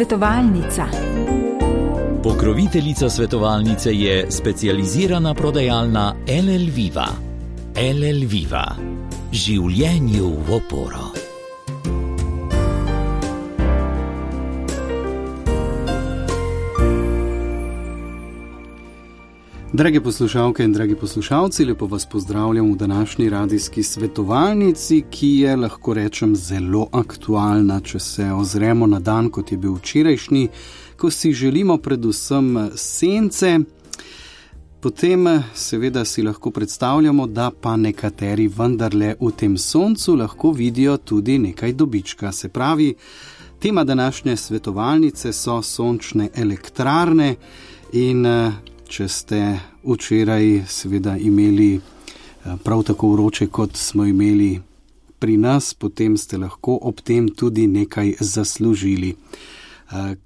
Svetovalnica. Pokroviteljica svetovalnice je specializirana prodajalna LL Viva. LL Viva. Življenju v oporo. Drage poslušalke in dragi poslušalci, lepo vas pozdravljam v današnji radijski svetovalnici, ki je, lahko rečem, zelo aktualna, če se ozremo na dan, kot je bil včerajšnji, ko si želimo predvsem sence. Potem seveda si lahko predstavljamo, da pa nekateri vendarle v tem soncu lahko vidijo tudi nekaj dobička. Se pravi, tema današnje svetovalnice so sončne elektrarne in če ste včeraj seveda imeli prav tako vroče, kot smo imeli pri nas, potem ste lahko ob tem tudi nekaj zaslužili.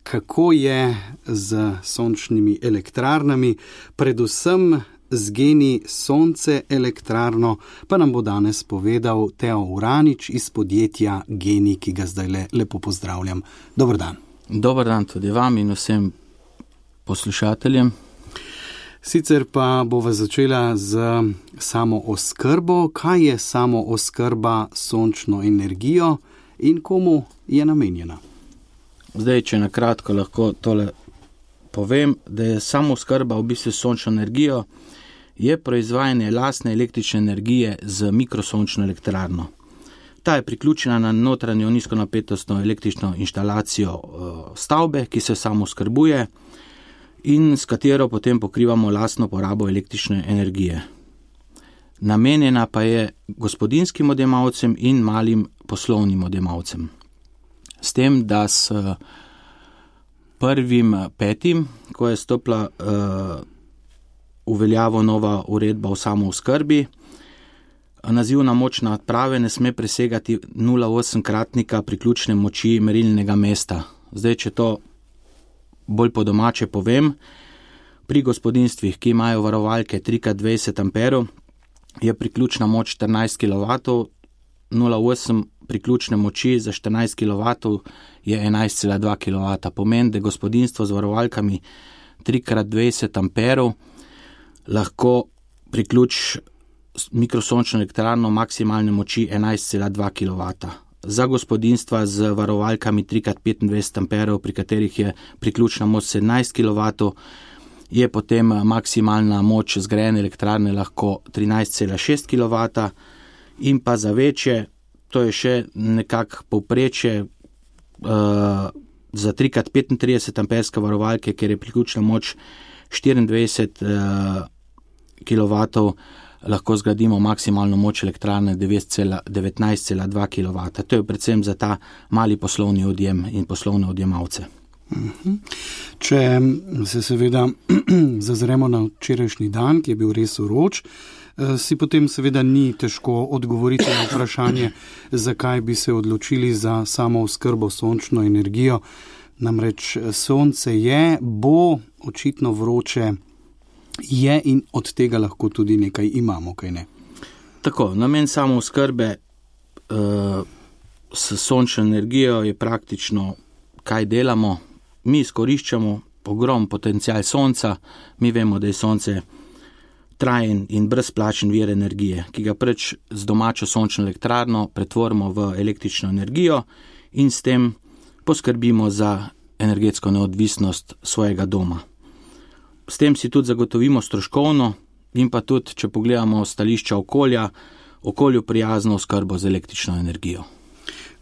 Kako je z sončnimi elektrarnami, predvsem z GENI Sonce elektrarno, pa nam bo danes povedal Teo Uranič iz podjetja GENI, ki ga zdaj lepo pozdravljam. Dober dan. Dober dan tudi vam in vsem poslušateljem. Sicer pa bova začela z samo oskrbo. Kaj je samo oskrba sončno energijo in komu je namenjena? Zdaj, če na kratko lahko tole povem, da je samo oskrba v bistvu sončno energijo, je proizvajanje lastne električne energije z mikrosončno elektrarno. Ta je priključena na notranjo nizkonapetostno električno inštalacijo stavbe, ki se samo oskrbuje in s katero potem pokrivamo lastno porabo električne energije. Namenjena pa je gospodinjskim odjemalcem in malim poslovnim odjemalcem. S tem, da s 1.5., ko je stopila v veljavo nova uredba o samooskrbi, nazivna moč naprave ne sme presegati 0,8-kratnika priključne moči merilnega mesta. Zdaj, če to bolj po domače povem, pri gospodinstvih, ki imajo varovalke 3x20 amperov, je priključna moč 14 kW, 0,8 priključne moči za 14 kW je 11,2 kW. Pomeni, da gospodinstvo z varovalkami 3x20 amperov lahko priključi mikrosončno elektrarno maksimalne moči 11,2 kW. Za gospodinstva z varovalkami 3x25 amperov, pri katerih je priključna moč 17 kW, je potem maksimalna moč zgrajene elektrarne lahko 13,6 kW in pa za večje, to je še nekako povprečje za 3x35 amperske varovalke, ker je priključna moč 24 kW, lahko zgradimo maksimalno moč elektrarne 19,2 kW. To je predvsem za ta mali poslovni odjem in poslovne odjemalce. Če se seveda zazremo na včerajšnji dan, ki je bil res vroč, si potem seveda ni težko odgovoriti na vprašanje, zakaj bi se odločili za samo oskrbo sončno energijo. Namreč sonce je, bo očitno vroče, je in od tega lahko tudi nekaj imamo, kaj ne? Tako, namen samo oskrbe s sončno energijo je praktično, kaj delamo. Mi izkoriščamo ogrom potencial sonca, mi vemo, da je sonce trajen in brezplačen vir energije, ki ga preč z domačo sončno elektrarno pretvorimo v električno energijo in s tem poskrbimo za energetsko neodvisnost svojega doma. S tem si tudi zagotovimo stroškovno in pa tudi, če pogledamo stališča okolja, okolju prijazno oskrbo z električno energijo.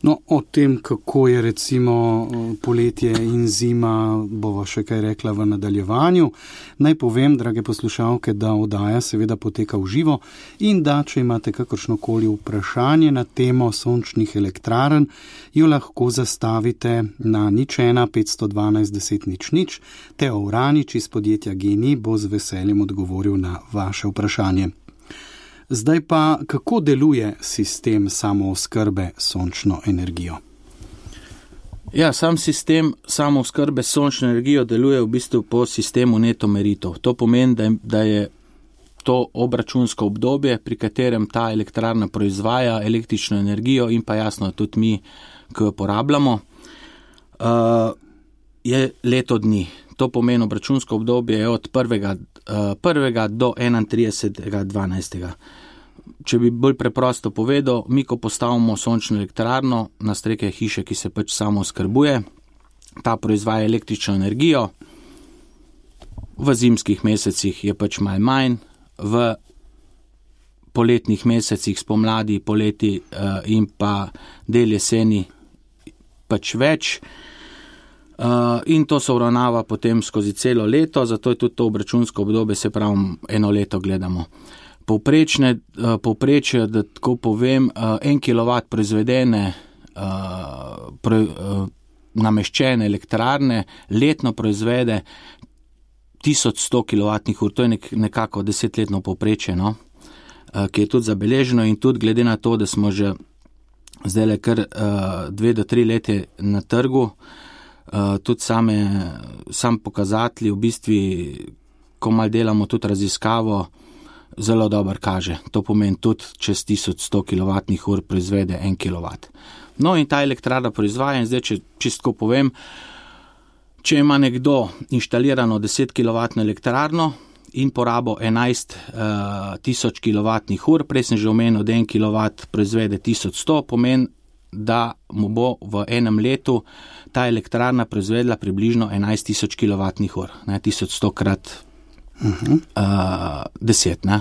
No, o tem, kako je recimo poletje in zima, bova še kaj rekla v nadaljevanju. Naj povem, drage poslušalke, da oddaja seveda poteka v živo in da, če imate kakršnokoli vprašanje na temo sončnih elektrarn, jo lahko zastavite na 01 512 10 00. Teo Uranič iz podjetja GENI bo z veseljem odgovoril na vaše vprašanje. Zdaj pa, kako deluje sistem samooskrbe sončno energijo? Ja, sam sistem samooskrbe sončno energijo deluje v bistvu po sistemu neto meritev. To pomeni, da je to obračunsko obdobje, pri katerem ta elektrarna proizvaja električno energijo in pa jasno tudi mi, ki jo porabljamo. je leto dni. To pomeni obračunsko obdobje je od 1. do 31.12. Če bi bolj preprosto povedal, mi ko postavimo sončno elektrarno na strehe hiše, ki se pač samo oskrbuje, ta proizvaja električno energijo, v zimskih mesecih je pač malo manj, v poletnih mesecih, spomladi, poleti in pa del jeseni pač več. In to se uravnava potem skozi celo leto, zato je tudi to obračunsko obdobje, se pravi, eno leto gledamo. Povprečje, da tako povem, 1 kW proizvedene nameščene elektrarne letno proizvede 1100 kWh, to je nekako 10-letno povprečje, no? Ki je tudi zabeleženo in tudi glede na to, da smo že zdaj kar 2 do 3 leta na trgu, tudi sam pokazatelji, v bistvu, ko mal delamo tudi raziskavo, zelo dobro kaže. To pomeni tudi čez 1100 kWh proizvede 1 kW. No in ta elektrarna proizvaja in zdaj, če čistko povem, če ima nekdo inštalirano 10 kW elektrarno in porabo 11 tisoč kWh, prej sem že omenil, da 1 kW proizvede 1100, pomeni, da mu bo v enem letu ta elektrarna proizvedla približno 11 tisoč kWh, 1100 krat 10, ne.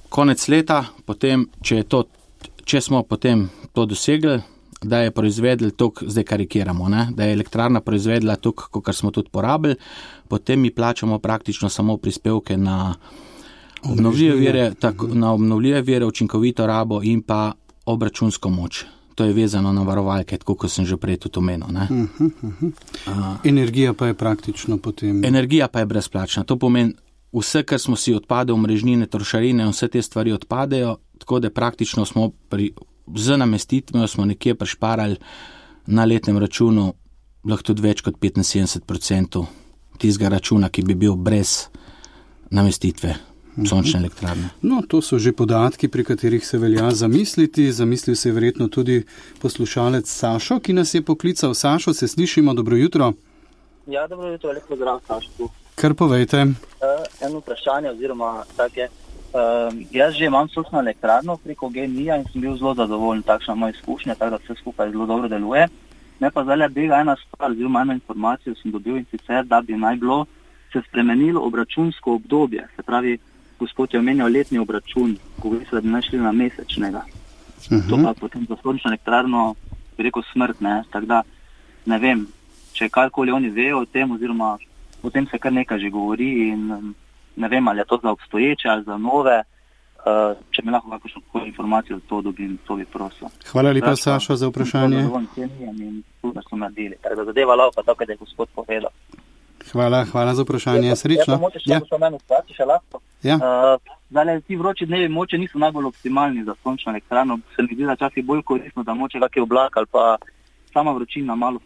Konec leta, potem, če smo potem to dosegli, da je proizvedel toliko, zdaj karikiramo, ne, da je elektrarna proizvedla toliko, kot smo tudi porabili, potem mi plačamo praktično samo prispevke na obnovljive vire, učinkovito rabo in pa obračunsko moč. To je vezano na varovalke, tako kot sem že prej tudi omenil. Energija pa je praktično potem... Energija pa je brezplačna. To pomeni, vse, kar smo si odpadali, omrežnine, trošarine, vse te stvari odpadejo, tako da praktično smo z namestitvijo smo nekje prišparali na letnem računu lahko tudi več kot 75% tistega računa, ki bi bil brez namestitve sončne elektrarne. No, to so že podatki, pri katerih se velja zamisliti. Zamislil se je verjetno tudi poslušalec Sašo, ki nas je poklical. Sašo, se slišimo, dobro jutro. Ja, dobro jutro, lep pozdrav, Sašo. Kar povejte. Eno vprašanje oziroma take. Jaz že imam sončno elektrarno preko GEN-I-ja in sem bil zelo zadovoljen, takšna moja izkušnja, tako da vse skupaj zelo dobro deluje. Me pa zdaj bega ena stvar, oziroma eno informacijo sem dobil, in sicer, da bi naj bilo se spremenilo obračunsko obdobje. Se pravi, gospod je omenjal letni obračun, govori se, da bi naj šli na mesečnega. To pa potem za sončno elektrarno, bi rekel, smrt, ne. Tako da ne vem, če karkoli oni vejo o tem, oziroma o tem se kar nekaj že govori in ne vem, ali je to za obstoječe ali za nove. Če mi lahko kakšno informacijo to dobim, to bi prosil. Hvala lepa, Sašo, za vprašanje. Tako da zadeva lauka, tako da je gospod povedal. Hvala za vprašanje. Srečno. Zdaj, ti vroči dnevi moče niso najbolj optimalni za sončno elektrarno. Se mi zdi, da časih bolj koristno, da moče kakšen oblak ali pa sama vročina malo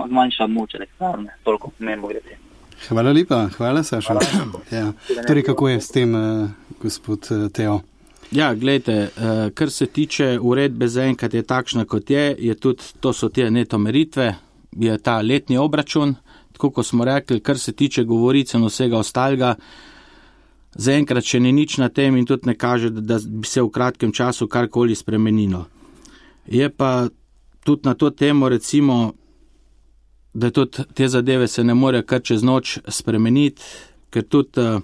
zmanjša moč elektrarne. Toliko pomembno gre. Hvala lepa, hvala Saša. Ja. Torej, kako je s tem, gospod Teo? Ja, gledajte, kar se tiče uredbe zaenkrat je takšna, kot je tudi, to so te neto meritve, je ta letni obračun, tako kot smo rekli, kar se tiče govorice in vsega ostalega, zaenkrat še ni nič na tem in tudi ne kaže, da bi se v kratkem času karkoli spremenilo. Je pa tudi na to temo, recimo, da tudi te zadeve se ne more kar čez noč spremeniti, ker tudi,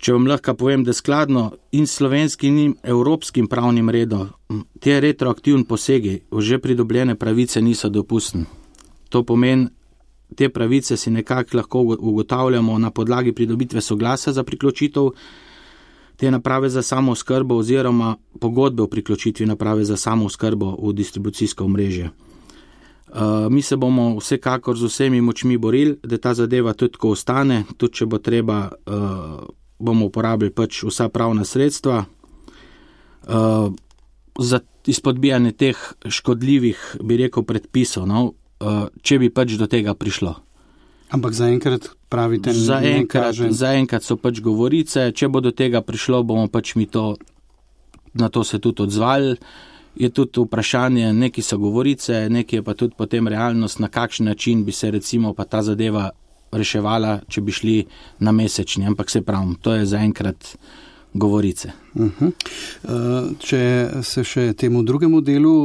če vam lahko povem, da skladno in slovenskim in evropskim pravnim redom, te retroaktivni posegi v že pridobljene pravice niso dopustni. To pomeni, te pravice si nekako lahko ugotavljamo na podlagi pridobitve soglasja za priključitev te naprave za samooskrbo oziroma pogodbe o priključitvi naprave za samooskrbo v distribucijsko omrežje. Mi se bomo vsekakor z vsemi močmi borili, da ta zadeva tudi tako ostane, tudi če bo treba, bomo uporabili pač vsa pravna sredstva za izpodbijanje teh škodljivih, bi rekel, predpisov, no, če bi pač do tega prišlo. Ampak zaenkrat pravite, ne kaže? Zaenkrat so pač govorice, če bo do tega prišlo, bomo pač mi na to se tudi odzvali je tudi vprašanje, neki so govorice, neki je pa tudi potem realnost, na kakšen način bi se recimo pa ta zadeva reševala, če bi šli na mesečni, ampak se pravim, to je zaenkrat govorice. Če se še temu drugemu delu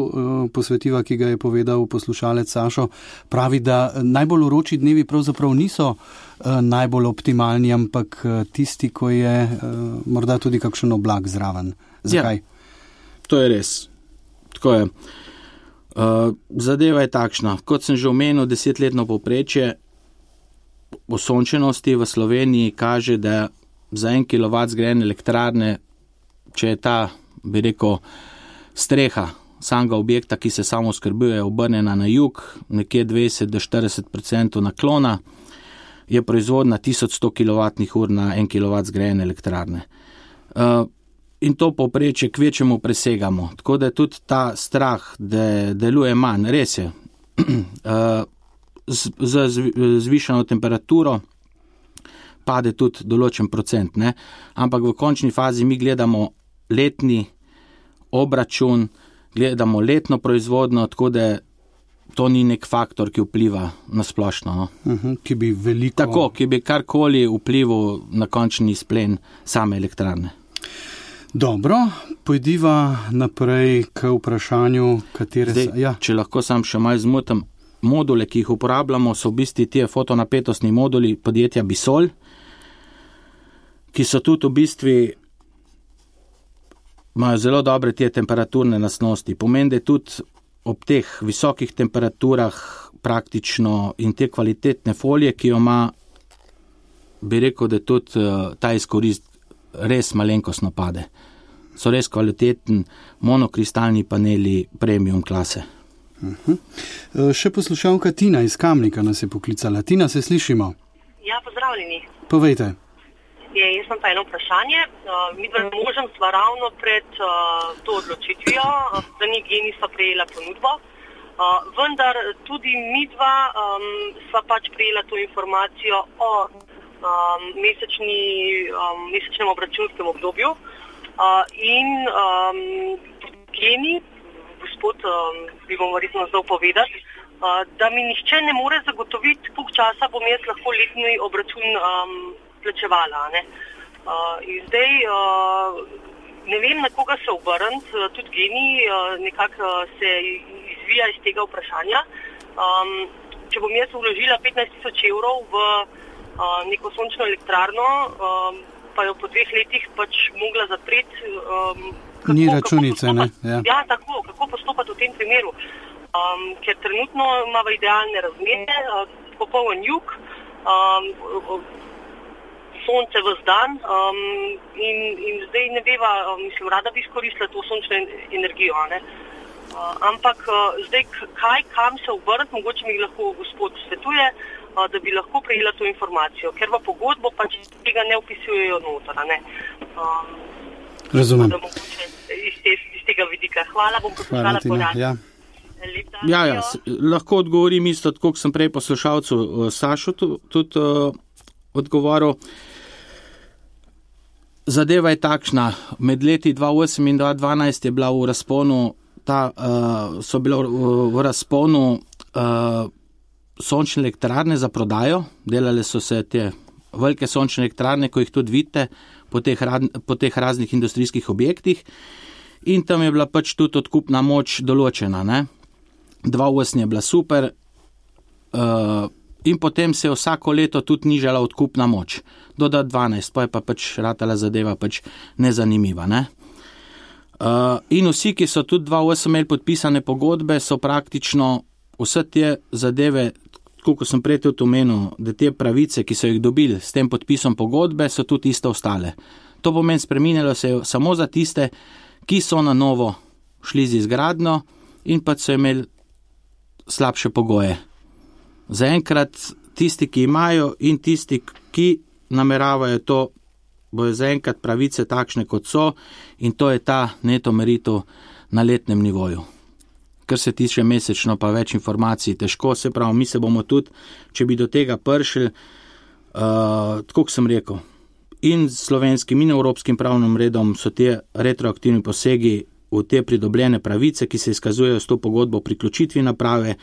posvetiva, ki ga je povedal poslušalec Sašo, pravi, da najbolj vroči dnevi pravzaprav niso najbolj optimalni, ampak tisti, ko je morda tudi kakšen oblak zraven. Zakaj? Ja, to je res. Tako je. Zadeva je takšna. Kot sem že omenil, 10-letno povprečje osončenosti v Sloveniji kaže, da za 1 kW zgrajene elektrarne, če je ta, bi rekel, streha samega objekta, ki se samo skrbuje, obrnjena na jug, nekje 20-40% naklona, je proizvodna 1100 kWh na 1 kW zgrajene elektrarne. In to povprečje kvečemu presegamo. Tako da je tudi ta strah, da deluje manj. Res je, z zvišano temperaturo pade tudi določen procent, ne? Ampak v končni fazi mi gledamo letni obračun, gledamo letno proizvodno, tako da to ni nek faktor, ki vpliva na splošno. No? Ki bi veliko... Tako, ki bi karkoli vplival na končni izplen same elektrarne. Dobro, pojdiva naprej k vprašanju, katere... Zdaj, če lahko sam še malo zmotam, module, ki jih uporabljamo, so v bistvu tie fotonapetostni moduli podjetja Bisol, ki so tudi v bistvu, imajo zelo dobre te temperaturne lastnosti. Pomeni, da tudi ob teh visokih temperaturah praktično in te kvalitetne folije, ki jo ima, bi rekel, da tudi ta izkorist res malenkostno pade. So res kvaliteten monokristalni paneli premium klase. Še poslušalka Tina iz Kamnika nas je poklicala. Tina, se slišimo? Ja, pozdravljeni. Povejte. Jaz sem pa eno vprašanje. Mi dva možem sva ravno pred to odločitvijo, da ni Geni sva prejela ponudbo, vendar tudi mi dva sva pač prejela to informacijo o mesečnem obračunskem obdobju in Geni, gospod, bi bom verjetno zdaj povedati, da mi nihče ne more zagotoviti, koliko časa bom jaz lahko letni obračun plačevala. Ne? In zdaj ne vem, na koga se obrniti, tudi Geni nekako se izvija iz tega vprašanja. Če bom jaz vložila 15.000 evrov v neko sončno elektrarno, pa jo po 2 letih pač mogla zapreti. Ni računice, ne? Ja, tako, kako postopati v tem primeru? Ker trenutno ima v idealne razmere, popoln jug, sonce ves dan in zdaj ne veva, mislim, rada bi izkoristila to sončno energijo, ne? Ampak zdaj kam se obrniti, mogoče mi lahko gospod svetuje, da bi lahko prejela to informacijo, ker v pogodbo pač tega ne vpisujejo noter, ne? Razumem. Iz tega vidika. Hvala, bom poslušala podatke. Ja. Ja, lahko odgovorim isto, tako kot sem prej poslušalcu Sašo tudi odgovoril. Zadeva je takšna, med leti 2008 in 2012 je bila v razponu, so bile v razponu sončne elektrarne za prodajo, delale so se te velike sončne elektrarne, ko jih tudi vidite, po teh raznih industrijskih objektih in tam je bila pač tudi odkupna moč določena, ne? 2008 je bila super in potem se je vsako leto tudi nižala odkupna moč. Do 2012, pa je pa pač ratala zadeva pač nezanimiva, ne? In vsi, ki so tudi 2008 imeli podpisane pogodbe, so praktično vse te zadeve, kot sem prej tudi omenil, da te pravice, ki so jih dobili s tem podpisom pogodbe, so tudi iste ostale. To pomeni, spreminjalo se je samo za tiste, ki so na novo šli z izgradnjo in pa so imeli slabše pogoje. Zaenkrat tisti, ki imajo in tisti, ki nameravajo to, bojo zaenkrat pravice takšne, kot so in to je ta neto meritev na letnem nivoju. Kar se tiče mesečno, pa več informacij, težko, se pravi, mi se bomo tudi, če bi do tega prišli, tako kot sem rekel, in slovenskim in evropskim pravnim redom so te retroaktivni posegi v te pridobljene pravice, ki se izkazujejo s to pogodbo o priključitvi naprave,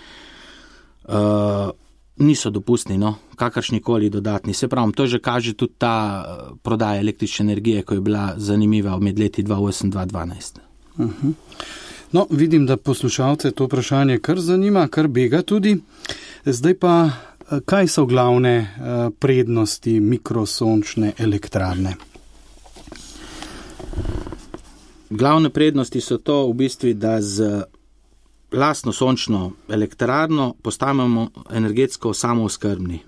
niso dopustni, no, kakršnikoli dodatni. Se pravim, to že kaže tudi ta prodaja električne energije, ko je bila zanimiva med leti 2008-2012. No, vidim, da poslušalce to vprašanje kar zanima, kar bega tudi. Zdaj pa, kaj so glavne prednosti mikrosončne elektrarne? Glavne prednosti so to v bistvu, da z lastno sončno elektrarno postajamo energetsko samooskrbni.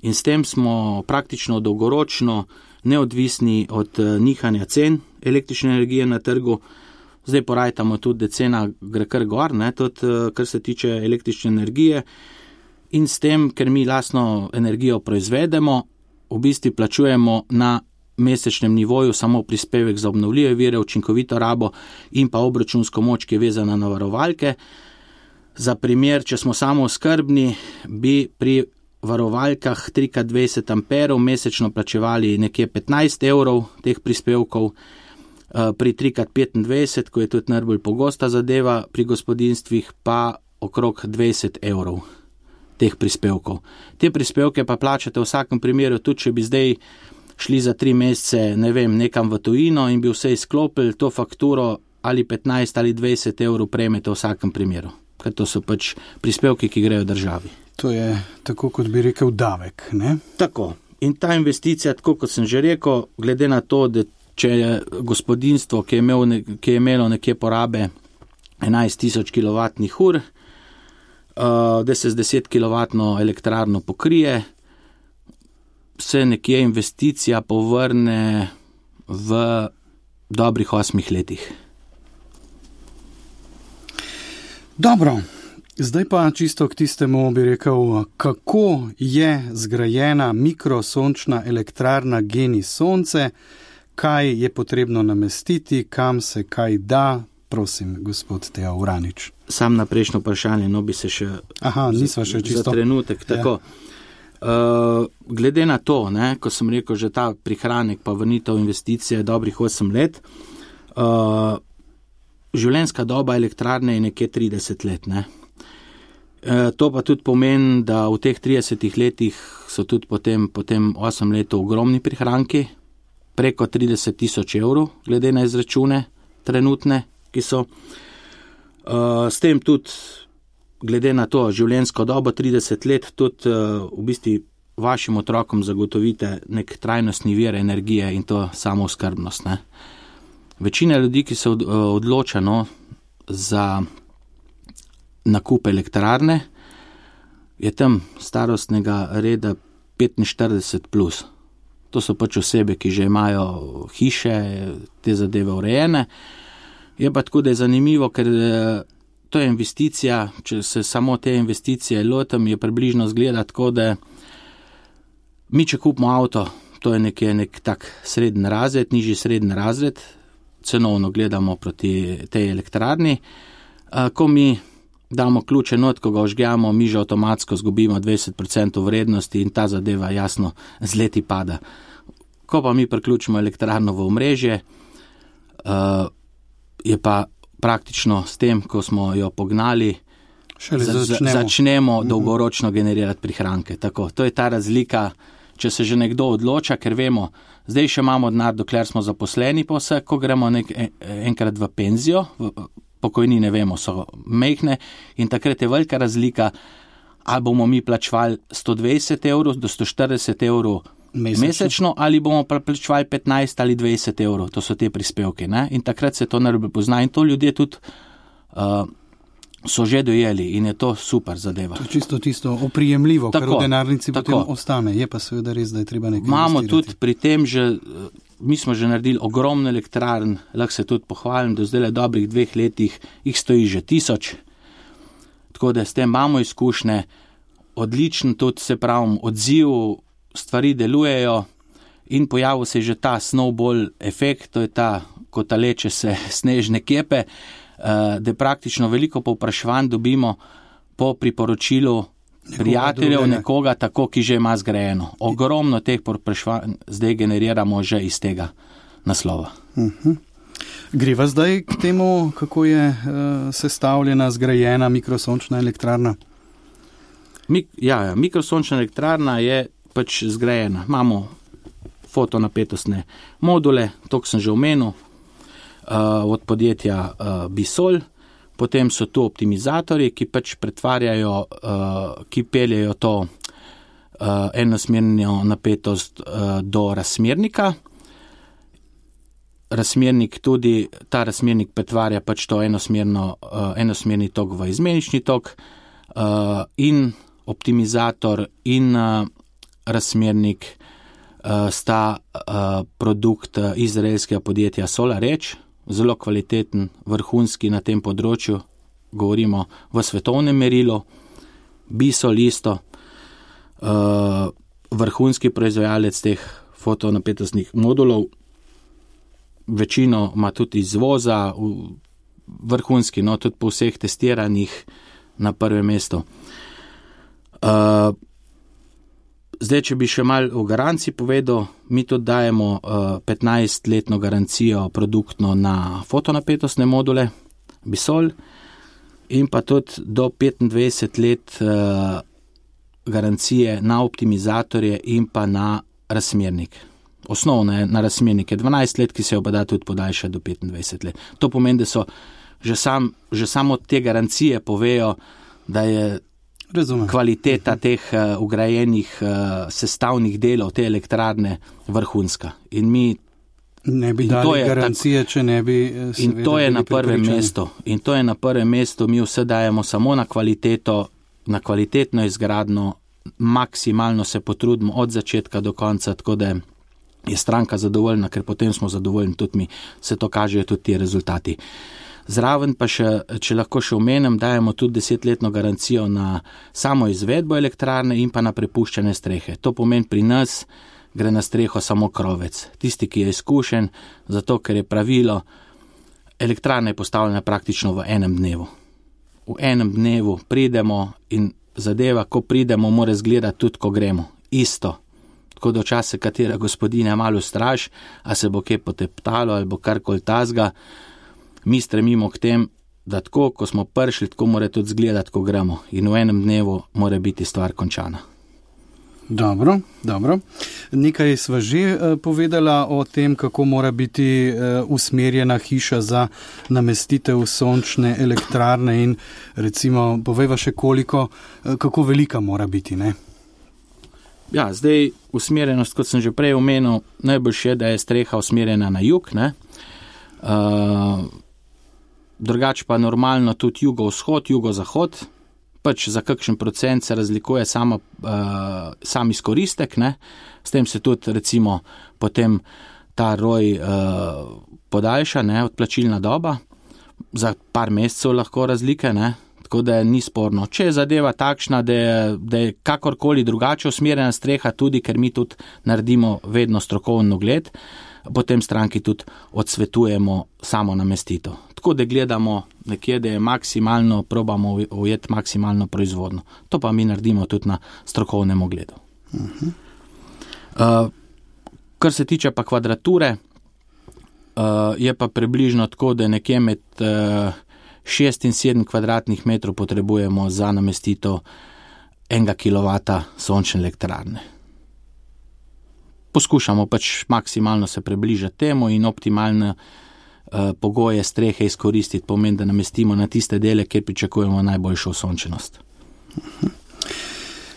In s tem smo praktično dolgoročno neodvisni od nihanja cen električne energije na trgu. Zdaj porajtamo tudi, da cena gre kar gor, ne, tudi kar se tiče električne energije. In s tem, ker mi lastno energijo proizvedemo, v bistvu plačujemo na mesečnem nivoju samo prispevek za obnovljive vire, učinkovito rabo in pa obračunsko moč, ki je vezana na varovalke. Za primer, če smo samooskrbni, bi pri varovalkah 3x20 amperov mesečno plačevali nekje 15 evrov teh prispevkov, pri 3x25, ko je tudi najbolj pogosta zadeva pri gospodinstvih, pa okrog 20 evrov teh prispevkov. Te prispevke pa plačate v vsakem primeru, tudi če bi zdaj šli za 3 mesece, ne vem, nekam v tujino in bi vse izklopili, to fakturo ali 15 ali 20 evrov prejmete v vsakem primeru. Ker to so pač prispevki, ki grejo državi. To je tako, kot bi rekel, davek, ne? Tako. In ta investicija, tako kot sem že rekel, glede na to, da če je gospodinstvo, ki je imelo nekje porabe 11.000 kWh, da se z 10 kW elektrarno pokrije, se nekje investicija povrne v dobrih 8 letih. Dobro, zdaj pa čisto k tistemu bi rekel, kako je zgrajena mikrosončna elektrarna GENI Sonce, kaj je potrebno namestiti, kam se kaj da. Prosim, gospod Teo Uranič. Sam na prejšnjo vprašanje, no bi se še, čisto za trenutek. Tako. Glede na to, ne, ko sem rekel, že ta prihranek pa vrnitev investicije dobrih 8 let, življenjska doba elektrarne je nekje 30 let. Ne. To pa tudi pomeni, da v teh 30 letih so tudi potem 8 letov ogromni prihranki, preko 30.000 evrov, glede na izračune trenutne, ki so. S tem tudi, glede na to življenjsko dobo 30 let, tudi v bistvu vašim otrokom zagotovite nek trajnostni vir energije in to samooskrbnost. Ne. Večina ljudi, ki se odloča za nakup elektrarne, je tam starostnega reda 45+. To so pač osebe, ki že imajo hiše, te zadeve urejene. Je pa tako, da je zanimivo, ker to je investicija, če se samo te investicije lotim, je približno zgleda tako, da mi, če kupimo avto, to je nek tak srednji razred, nižji srednji razred, cenovno gledamo proti tej elektrarni. Ko mi damo ključe not, ko ga ožgemo, mi že avtomatsko zgubimo 20% vrednosti in ta zadeva jasno z leti pada. Ko pa mi priključimo elektrarno v omrežje, je pa praktično s tem, ko smo jo pognali, začnemo dolgoročno generirati prihranke. Tako, to je ta razlika, če se že nekdo odloča, ker vemo, zdaj še imamo denar, dokler smo zaposleni pa vse, ko gremo enkrat v penzijo, pokojnine vemo, so mehne in takrat je velika razlika, ali bomo mi plačevali 120 evrov do 140 evrov mesečno, ali bomo plačevali 15 ali 20 evrov, to so te prispevke. Ne? In takrat se to najbolj pozna in to ljudje tudi so že dojeli in je to super zadeva. To je čisto oprijemljivo, kar v denarnici potem ostane. Je pa seveda res, da je treba nekaj imamo investirati. Tudi pri tem mi smo že naredili ogromno elektrarn, lahko se tudi pohvalim, do zdaj dobrih 2 letih jih stoji že 1000, tako da s tem imamo izkušnje, odličen tudi, se pravim, odziv, stvari delujejo in pojavil se je že ta snowball efekt, to je ta, ko taleče se snežne kepe, da praktično veliko povpraševanj dobimo po priporočilu prijateljev nekoga tako, ki že ima zgrajeno. Ogromno teh povpraševanj zdaj generiramo že iz tega naslova. Greva zdaj k temu, kako je sestavljena, zgrajena mikrosončna elektrarna? Mikrosončna elektrarna je pač zgrajena. Imamo fotonapetostne module, to sem že omenil, od podjetja Bisol. Potem so tu optimizatorji, ki pač pretvarjajo, ki peljejo to enosmerno napetost do razmernika. Ta razmernik pretvarja pač to enosmerni tok v izmenični tok, in optimizator in razmernik sta produkt izraelskega podjetja SolarEdge, zelo kvaliteten, vrhunski na tem področju, govorimo v svetovnem merilu. Bisol isto, vrhunski proizvajalec teh fotonapetostnih modulov, večino ima tudi izvoza, vrhunski, tudi po vseh testiranjih na prvem mestu. Zdaj, če bi še malo o garanciji povedal, mi tudi dajemo 15-letno garancijo produktno na fotonapetostne module Bisol in pa tudi do 25 let garancije na optimizatorje in pa na razmernik. Osnovno je na razmernik 12 let, ki se jo pa da tudi podaljša do 25 let. To pomeni, da so že samo te garancije povejo, da je kvaliteta teh ugrajenih sestavnih delov te elektrarne vrhunska. In mi ne bi dali garancije, če ne bi in to je na prvem mestu. In to je na prvem mestu, mi vse dajemo samo na kvaliteto, na kvalitetno izgradno, maksimalno se potrudimo od začetka do konca, tako da je stranka zadovoljna, ker potem smo zadovoljni tudi mi, se to kažejo tudi ti rezultati. Zraven pa še, če lahko še omenim, dajemo tudi 10-letno garancijo na samo izvedbo elektrarne in pa na prepuščene strehe. To pomeni, pri nas gre na streho samo krovec. Tisti, ki je izkušen, zato ker je pravilo, elektrarna je postavljena praktično v enem dnevu. V enem dnevu pridemo in zadeva, ko pridemo, mora izgledati tudi, ko gremo. Isto. Tako da včasih katera gospodinja malo straš, a se bo kje poteptalo ali bo karkoli tazga. Mi stremimo k tem, da tako, ko smo prišli, tako mora tudi izgledati, ko gremo. In v enem dnevu mora biti stvar končana. Dobro. Nekaj sva že povedala o tem, kako mora biti usmerjena hiša za namestitev sončne elektrarne in recimo povejva še kako velika mora biti, ne? Ja, zdaj usmerjenost, kot sem že prej omenil, najboljše je, da je streha usmerjena na jug, ne? Drugače pa normalno tudi jugo-vzhod, jugo-zahod, pač za kakšen procent se razlikuje sam izkoristek, ne? S tem se tudi recimo potem ta roj podaljša, ne? Odplačilna doba, za par mesecev lahko razlike, ne? Tako da ni sporno. Če je zadeva takšna, da je kakorkoli drugače usmerjena streha, tudi ker mi tudi naredimo vedno strokoven ogled, potem stranki tudi odsvetujemo samo namestitev. Tako da gledamo nekje, da je maksimalno, probamo ujeti maksimalno proizvodno. To pa mi naredimo tudi na strokovnem ogledu. Kar se tiče pa kvadrature, je pa približno tako, da nekje med 6 in 7 kvadratnih metrov potrebujemo za namestitev 1 kW sončne elektrarne. Poskušamo pač maksimalno se približati temu in optimalne pogoje strehe izkoristiti, pomeni, da namestimo na tiste dele, kjer pričakujemo najboljšo osončenost.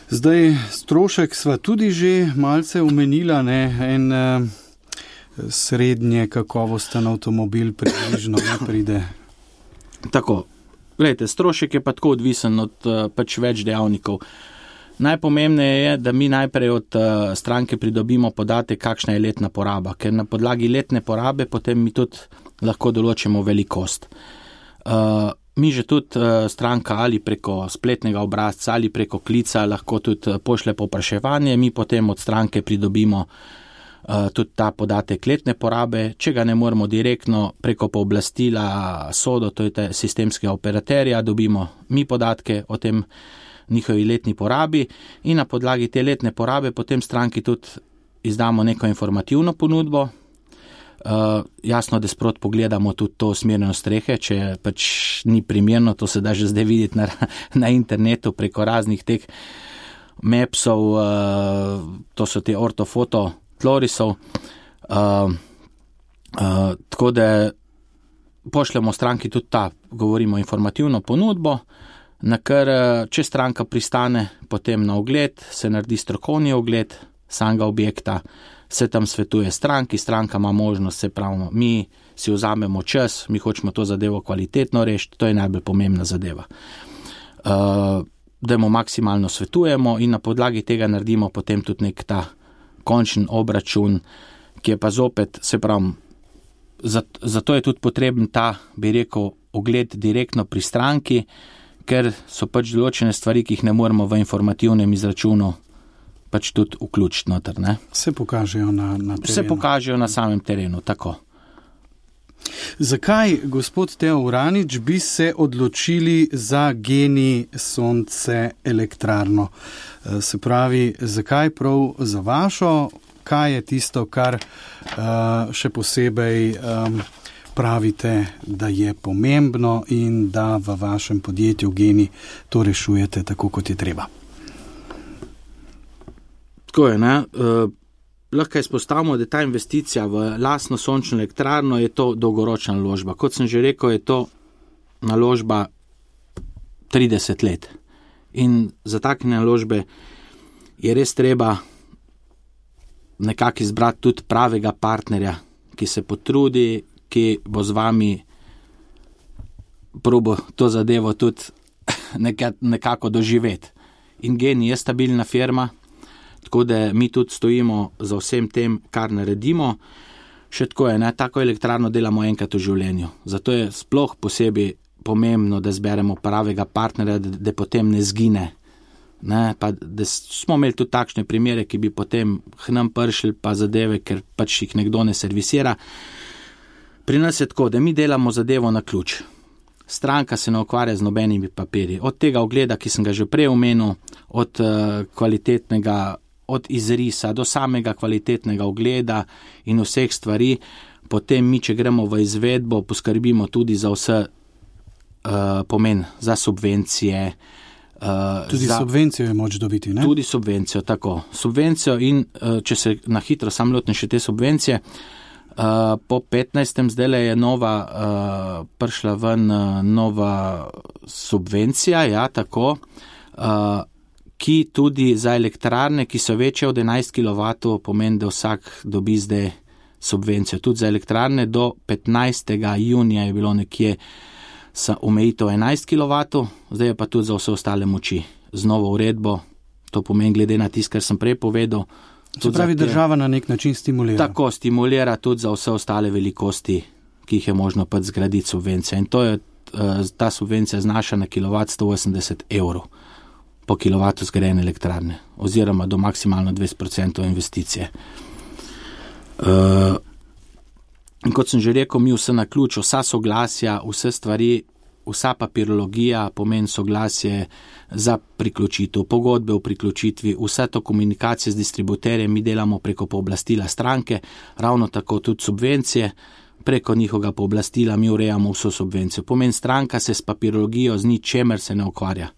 Zdaj, strošek sva tudi že malce omenila, ne, en srednje kakovosten avtomobil približno ne pride. Tako, gledajte, strošek je pa tako odvisen od pač več dejavnikov. Najpomembneje je, da mi najprej od stranke pridobimo podatek, kakšna je letna poraba, ker na podlagi letne porabe potem mi tudi lahko določimo velikost. Mi že tudi stranka ali preko spletnega obrazca ali preko klica lahko tudi pošlje povpraševanje, mi potem od stranke pridobimo tudi ta podatek letne porabe. Če ga ne moremo direktno preko pooblastila SODO, to je sistemskega operaterja, dobimo mi podatke o tem njihovi letni porabi in na podlagi te letne porabe potem stranki tudi izdamo neko informativno ponudbo, Jasno, da sprot pogledamo tudi to usmerjeno strehe, če pač ni primerno, to se da že zdaj videti na internetu preko raznih teh mapsov, to so te ortofoto tlorisov, tako da pošljemo stranki tudi govorimo informativno ponudbo, na kar, če stranka pristane potem na ogled, se naredi strokovni ogled samega objekta, se tam svetuje stranki, stranka ima možnost, se pravimo, mi si vzamemo čas, mi hočemo to zadevo kvalitetno rešiti, to je najbolj pomembna zadeva. Da mu maksimalno svetujemo in na podlagi tega naredimo potem tudi nek ta končen obračun, ki je pa zopet, se pravim, zato je tudi potreben ta, bi rekel, ogled direktno pri stranki, ker so pač določene stvari, ki jih ne moremo v informativnem izračunu pač tudi vključiti noter, ne? Se pokažejo na terenu. Se pokažejo na samem terenu, tako. Zakaj, gospod Teo Uranič, bi se odločili za GEN-I sonce elektrarno? Se pravi, zakaj prav za vašo? Kaj je tisto, kar še posebej pravite, da je pomembno in da v vašem podjetju GEN-I to rešujete tako, kot je treba? Tako je, ne? Lahko izpostavimo, da ta investicija v lastno sončno elektrarno je to dolgoročna naložba. Kot sem že rekel, je to naložba 30 let. In za take naložbe je res treba nekako izbrati tudi pravega partnerja, ki se potrudi, ki bo z vami probo to zadevo tudi nekako doživeti. In GEN-I je stabilna firma, tako da mi tudi stojimo za vsem tem, kar naredimo. Še tako je, ne, tako elektrarno delamo enkrat v življenju. Zato je sploh posebej pomembno, da zberemo pravega partnerja, da potem ne zgine. Ne, pa da smo imeli tudi takšne primere, ki bi potem k nam prišli pa zadeve, ker pač jih nekdo ne servisira. Pri nas je tako, da mi delamo zadevo na ključ. Stranka se ne ukvarja z nobenimi papirji. Od tega ogleda, ki sem ga že prej omenil, od kvalitetnega, od izrisa do samega kvalitetnega ogleda in vseh stvari, potem mi, če gremo v izvedbo, poskrbimo tudi za vse pomen, za subvencije. Tudi subvencijo je moč dobiti, ne? Tudi subvencijo, tako. Subvencijo in če se na hitro sam lotim še te subvencije, po 15. zdaj je prišla ven nova subvencija, ja, tako, ki tudi za elektrarne, ki so večje od 11 kW, pomeni, da vsak dobi zdaj subvencijo. Tudi za elektrarne do 15. junija je bilo nekje omejitev 11 kW, zdaj je pa tudi za vse ostale moči. Z novo uredbo, to pomeni glede na tisto, kar sem prej povedal. Se pravi, država na nek način stimulira. Tako, stimulira tudi za vse ostale velikosti, ki jih je možno pač zgraditi subvencije. In to je, ta subvencija znaša na kilovat 180 € po kilovatu zgrajene elektrarne, oziroma do maksimalno 20% investicije. In kot sem že rekel, mi vse na ključ, vsa soglasja, vse stvari, vsa papirologija, pomeni soglasje za priključitev, pogodbe o priključitvi, vse to komunikacije z distributerjem mi delamo preko pooblastila stranke, ravno tako tudi subvencije, preko njihovega pooblastila mi urejamo vso subvencijo. Pomeni, stranka se s papirologijo z ničemer se ne ukvarja.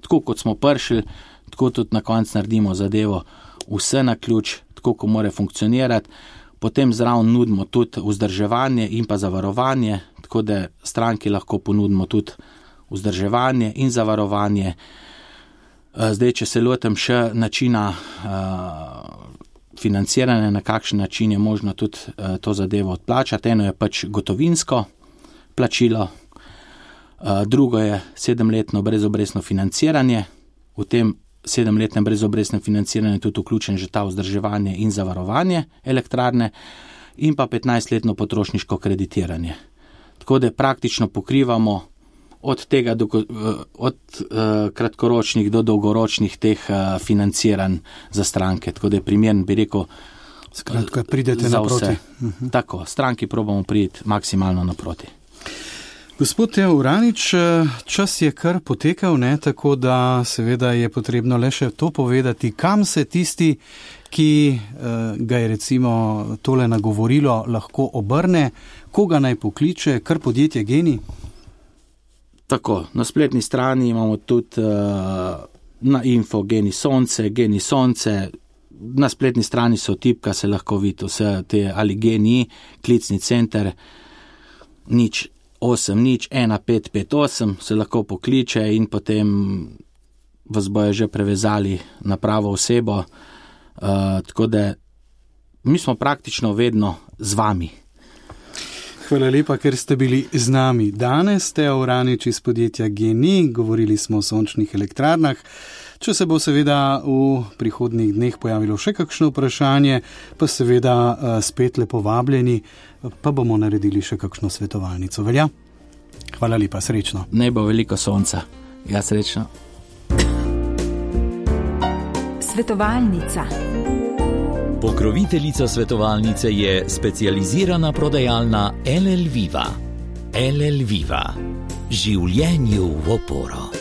Tako kot smo prišli, tako tudi na koncu naredimo zadevo, vse na ključ, tako ko mora funkcionirati. Potem zraven nudimo tudi vzdrževanje in pa zavarovanje, tako da stranki lahko ponudimo tudi vzdrževanje in zavarovanje. Zdaj, če se lotim še načina financiranja, na kakšen način je možno tudi to zadevo odplačati. Eno je pač gotovinsko plačilo, drugo je 7-letno brezobrestno financiranje. V tem 7-letnem brezobrestnem financiranju tudi vključen že ta vzdrževanje in zavarovanje elektrarne in pa 15-letno potrošniško kreditiranje. Tako da praktično pokrivamo od tega od kratkoročnih do dolgoročnih teh financiranj za stranke. Tako da je primeren, bi rekel, skratka, pridete naproti. Tako, stranki probamo priti maksimalno naproti. Gospod Teo Uranič, čas je kar potekal, ne? Tako da seveda je potrebno le še to povedati, kam se tisti, ki ga je recimo tole nagovorilo, lahko obrne, koga naj pokliče, kar podjetje GEN-I? Tako, na spletni strani imamo tudi na info GEN-I Sonce, na spletni strani so tipka, se lahko vidi vse te ali GEN-I, klicni center, 08-1558 se lahko pokliče in potem vas bojo že prevezali na pravo osebo, tako da mi smo praktično vedno z vami. Hvala lepa, ker ste bili z nami danes. Teo Uranič iz podjetja GEN-I, govorili smo o sončnih elektrarnah. Če se bo seveda v prihodnjih dneh pojavilo še kakšno vprašanje, pa seveda spet lepo vabljeni, pa bomo naredili še kakšno svetovalnico. Velja? Hvala lepa, srečno. Ne bo veliko sonca. Ja, srečno. Svetovalnica. Pokroviteljica svetovalnice je specializirana prodajalna LL Viva. LL Viva. Življenju v oporo.